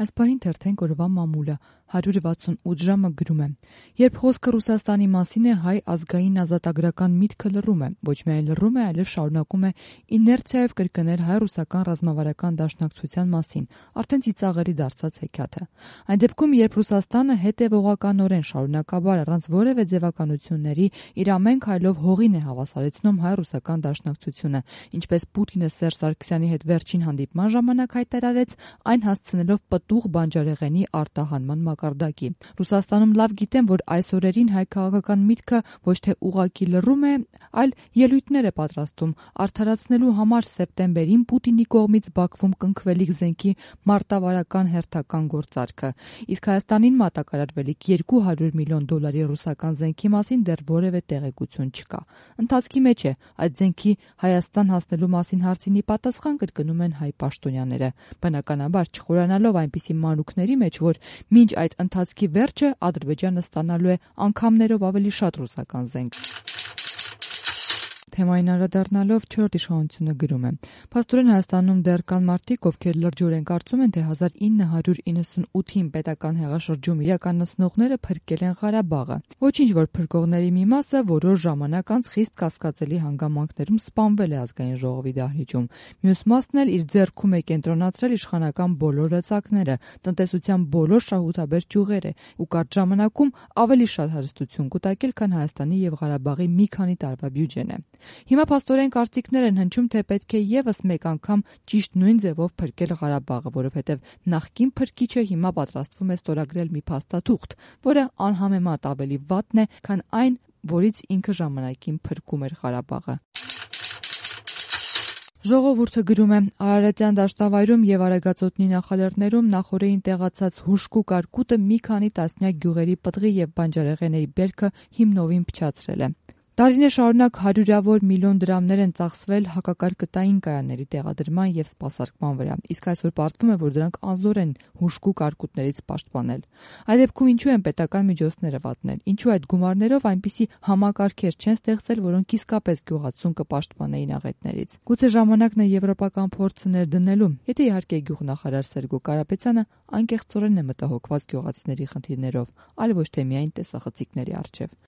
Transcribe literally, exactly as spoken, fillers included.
Այս պահին թերթենք օրվա մամուլը հարյուր վաթսունութ ժամը գրում է. երբ խոսքը Ռուսաստանի մասին է, հայ ազգային ազատագրական միտքը լռում է, ոչ միայն լռում է, այլև շարունակում է իներցիայով կրկնել հայ-ռուսական ռազմավարական դաշնակցության մասին, արդեն ծիծաղելի դարձած հեքիաթը։ Այն դեպքում, երբ Ռուսաստանը հետևողականորեն շարունակաբար առանց որևէ ձևականությունների իր ամեն քայլով հողին է հավասարեցնում հայ-ռուսական դաշնակցությունը, ինչպես Պուտինը Սերժ Սարգսյանի հետ վերջին հանդիպման ժամանակ հայտարարեց, այն հասցնելով պտուղ բանջարեղենի արտահանման մակարդակի։ Ռուսաստանում լավ գիտեն, որ այս օրերին հայ քաղաքական միտքը ոչ թե ուղղակի լռում է, այլ ելույթներ է պատրաստում արդարացնելու համար սեպտեմբերին Պուտինի կողմից Բաքվում կնքվելիք զենքի մարտավարական հերթական գործարքը։ Իսկ Հայաստանին մատակարարվելիք երկու հարյուր միլիոն դոլարի ռուսական զենքի մասին դեռ որևէ տեղեկություն չկա։ Ընթացքի մեջ է այդ զենքի Հայաստան հասնելու մասին հարցին ի պատասխան կրկնում են հայ պաշտոնյաները, բնականաբար չխորանալով այնպիսի մանրուքների մեջ, որ մինչ այդ ընթացքի վերջը Ադրբեջանը ստանալու է անգամներով ավելի շատ ռուսական զենք։ Թեմային անդրադառնալով չորրորդ իշխանությունը գրում է. Փաստորեն Հայաստանում դեռ կան մարդիկ, ովքեր լրջորեն կարծում են, թե հազար ինը հարյուր իննսունութին պետական հեղաշրջում իրականացնողները փրկել են Ղարաբաղը։ Ոչինչ, որ փրկողների մի մասը որոշ ժամանակ անց խիստ կասկածելի հանգամանքներում սպանվել է ազգային ժողովի դահլիճում։ Մյուս մասն էլ իր ձեռքում է կենտրոնացրել իշխանական բոլոր լծակները, տնտեսության բոլոր շահութաբեր ճյուղերը ու կարճ ժամանակում ավելի շատ հարստություն կուտակել, քան Հայաստանի եւ Ղարաբաղի մի քանի տարվա բյուջեն է։ Հիմա փաստորեն կարծիքներ են հնչում, թե պետք է եւս մեկ անգամ ճիշտ նույն ձևով փրկել Ղարաբաղը, որովհետեւ նախկին փրկիչը հիմա պատրաստվում է ստորագրել մի փաստաթուղթ, որը անհամեմատ ավելի վատն է, քան այն, որից ինքը ժամանակին փրկում էր Ղարաբաղը։ Ժողովուրդը գրում է. Արարատյան դաշտավայրում եւ Արագածոտնի նախալեռներում նախօրեին տեղացած հուժկու կարկուտը մի քանի տասնյակ գյուղերի պտղի եւ բանջարեղենների բերքը հիմնովին փչացրել է։ Տարիներ շարունակ հարյուրավոր միլիոն դրամներ են ծախսվել հակակարկտային կայանների տեղադրման եւ սպասարկման վրա, իսկ այսօր պարզվում է, որ դրանք անզոր են հուժկու կարկուտներից պաշտպանել։ Այդ դեպքում ինչու են պետական միջոցները վատնել, ինչու այդ գումարներով այնպիսի համակարգեր չեն ստեղծել, որոնք իսկապես գյուղացուն կպաշտպանեին աղետներից։ Գուցե ժամանակն է եվրոպական փորձը ներդնելու, եթե իհարկե գյուղնախարար Սերգո Կարապետյանը անկեղծորեն է մտահոգված գյուղացիների խնդիրներով, այլ ոչ թե միայն տեսախցիկների առջև։